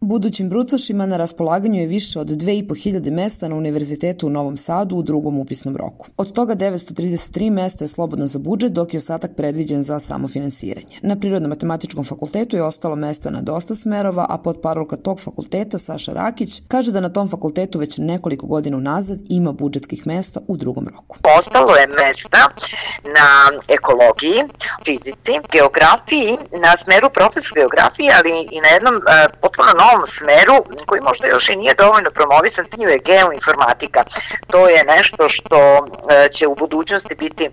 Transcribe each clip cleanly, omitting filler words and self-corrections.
Budućim brucošima na raspolaganju je više od 2500 mesta na Univerzitetu u Novom Sadu u drugom upisnom roku. Od toga 933 mesta je slobodno za budžet, dok je ostatak predviđen za samofinansiranje. Na Prirodno-matematičkom fakultetu je ostalo mesta na dosta smerova, a potparolka tog fakulteta Saša Rakić kaže da na tom fakultetu već nekoliko godina unazad ima budžetskih mesta u drugom roku. Ostalo je mesta na ekologiji, fizici, geografiji, na smeru profesor geografije, ali i na jednom potpuno novom smeru koji možda još i nije dovoljno promovisan, je geoinformatika. To je nešto što će u budućnosti biti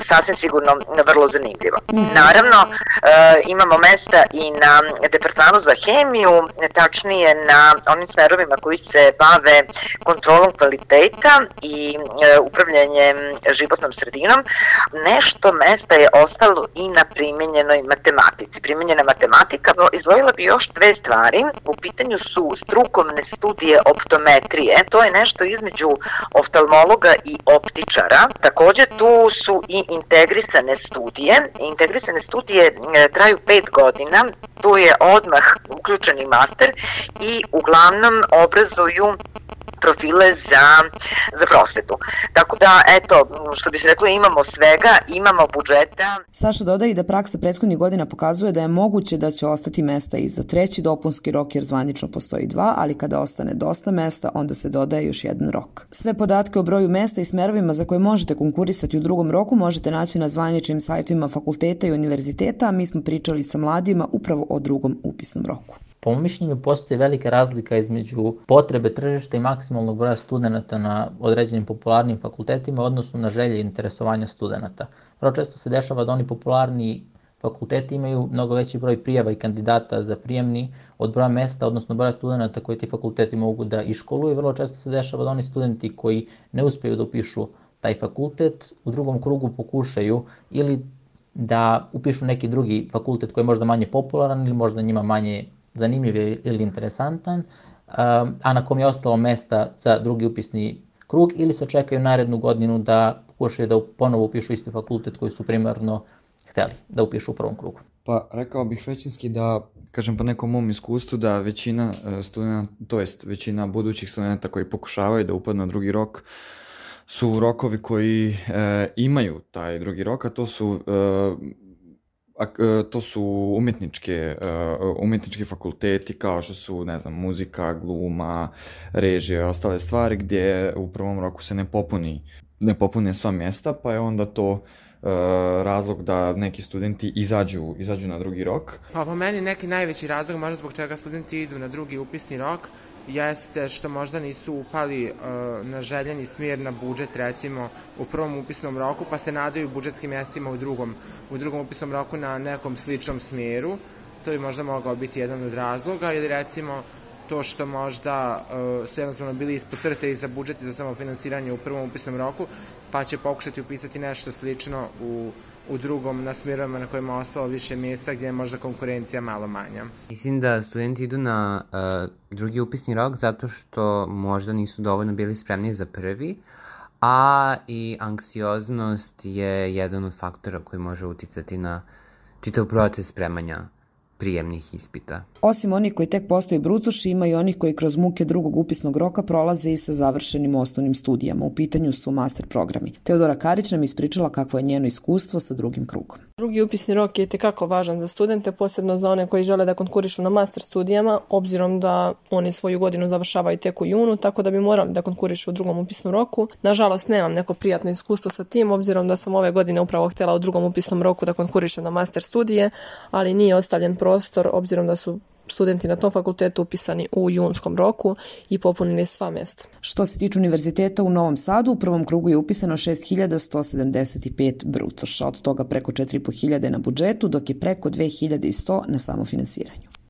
sasvim sigurno vrlo zanimljivo. Naravno, imamo mesta i na departmanu za hemiju, tačnije na onim smerovima koji se bave kontrolom kvaliteta i upravljanjem životnom sredinom. Nešto mesta je ostalo i na primenjenoj matematici. Primenjena matematika, izdvojila bi još dve stvari. U pitanju su strukovne studije optometrije. To je nešto između oftalmologa i optičara. Takođe tu su i integrisane studije. Integrisane studije traju 5 godina. Tu je odmah uključeni master i uglavnom obrazuju profile za prosvetu. Tako da, eto, što bi se reklo, imamo svega, imamo budžeta. Saša dodaje i da praksa prethodnih godina pokazuje da je moguće da će ostati mesta i za treći dopunski rok, jer zvanično postoji 2, ali kada ostane dosta mesta, onda se dodaje još jedan rok. Sve podatke o broju mesta i smerovima za koje možete konkurisati u drugom roku možete naći na zvaničnim sajtovima fakulteta i univerziteta, a mi smo pričali sa mladima upravo o drugom upisnom roku. Po mom mišljenju postoji velika razlika između potrebe tržišta i maksimalnog broja studenta na određenim popularnim fakultetima, odnosno na želje i interesovanja studenta. Vrlo često se dešava da oni popularni fakulteti imaju mnogo veći broj prijava i kandidata za prijemni od broja mesta, odnosno broja studenta koji ti fakulteti mogu da iškoluju. Vrlo često se dešava da oni studenti koji ne uspeju da upišu taj fakultet u drugom krugu pokušaju ili da upišu neki drugi fakultet koji je možda manje popularan ili možda njima manje zanimljiv ili interesantan, a na kom je ostalo mesta za drugi upisni krug, ili se čekaju narednu godinu da pokušaju da ponovo upišu isti fakultet koji su primarno hteli da upišu u prvom krugu. Pa rekao bih većinski da, kažem po nekom mom iskustvu, da većina studenta, to jest većina budućih studenta koji pokušavaju da upadnu na drugi rok, su rokovi koji imaju taj drugi rok, a to su umetnički fakulteti kao što su, ne znam, muzika, gluma, režija, ostale stvari gdje u prvom roku se ne popune sva mjesta, pa je onda to razlog da neki studenti izađu na drugi rok. Pa po meni neki najveći razlog možda zbog čega studenti idu na drugi upisni rok jeste što možda nisu upali na željeni smjer na budžet, recimo u prvom upisnom roku, pa se nadaju budžetskim mjestima u drugom upisnom roku na nekom sličnom smjeru. To bi možda mogao biti jedan od razloga, ili recimo to što možda su jednostavno bili ispod crte i za budžet i za samofinansiranje u prvom upisnom roku, pa će pokušati upisati nešto slično u drugom na smjerovima na kojima je ostalo više mjesta gdje je možda konkurencija malo manja. Mislim da studenti idu na drugi upisni rok zato što možda nisu dovoljno bili spremni za prvi, a i anksioznost je jedan od faktora koji može uticati na čitav proces spremanja prijemnih ispita. Osim onih koji tek postaju brucoši, ima i onih koji kroz muke drugog upisnog roka prolaze i sa završenim osnovnim studijama. U pitanju su master programi. Teodora Karić nam ispričala kakvo je njeno iskustvo sa drugim krugom. Drugi upisni rok je tekako važan za studente, posebno za one koji žele da konkurišu na master studijama, obzirom da oni svoju godinu završavaju tek u junu, tako da bi morali da konkurišu u drugom upisnom roku. Nažalost, nemam neko prijatno iskustvo sa tim, obzirom da sam ove godine upravo htjela u drugom upisnom roku da konkurišem na master studije, ali nije ostavljen prostor, obzirom da su studenti na tom fakultetu upisani u junskom roku i popunili sva mjesta. Što se tiče univerziteta u Novom Sadu, u prvom krugu je upisano 6175 brucoša, od toga preko 4500 na budžetu, dok je preko 2100 na samofinansiranju.